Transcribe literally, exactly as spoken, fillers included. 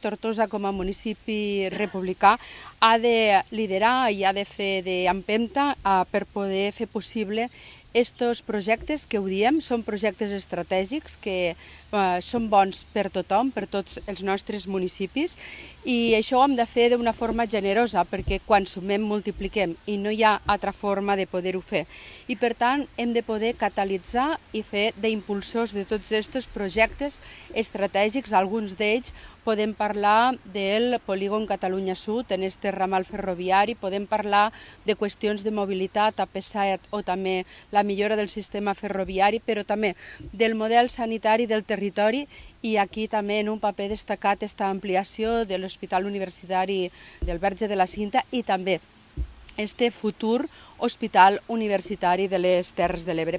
Tortosa, com a municipi republicà, ha de liderar i ha de fer d'empenta per poder fer possible estos projectes que ho diem, són projectes estratègics que eh, són bons per tothom, per tots els nostres municipis, i això ho hem de fer d'una forma generosa, perquè quan sumem multipliquem i no hi ha altra forma de poder-ho fer. I per tant hem de poder catalitzar i fer d'impulsors de tots aquests projectes estratègics. Alguns d'ells podem parlar del polígon Catalunya Sud, en este ramal ferroviari, podem parlar de qüestions de mobilitat a P set o també la millora del sistema ferroviari, però també del model sanitari del territori, i aquí també en un paper destacat esta ampliació de l'Hospital Universitari del Verge de la Cinta i també este futur Hospital Universitari de les Terres de l'Ebre.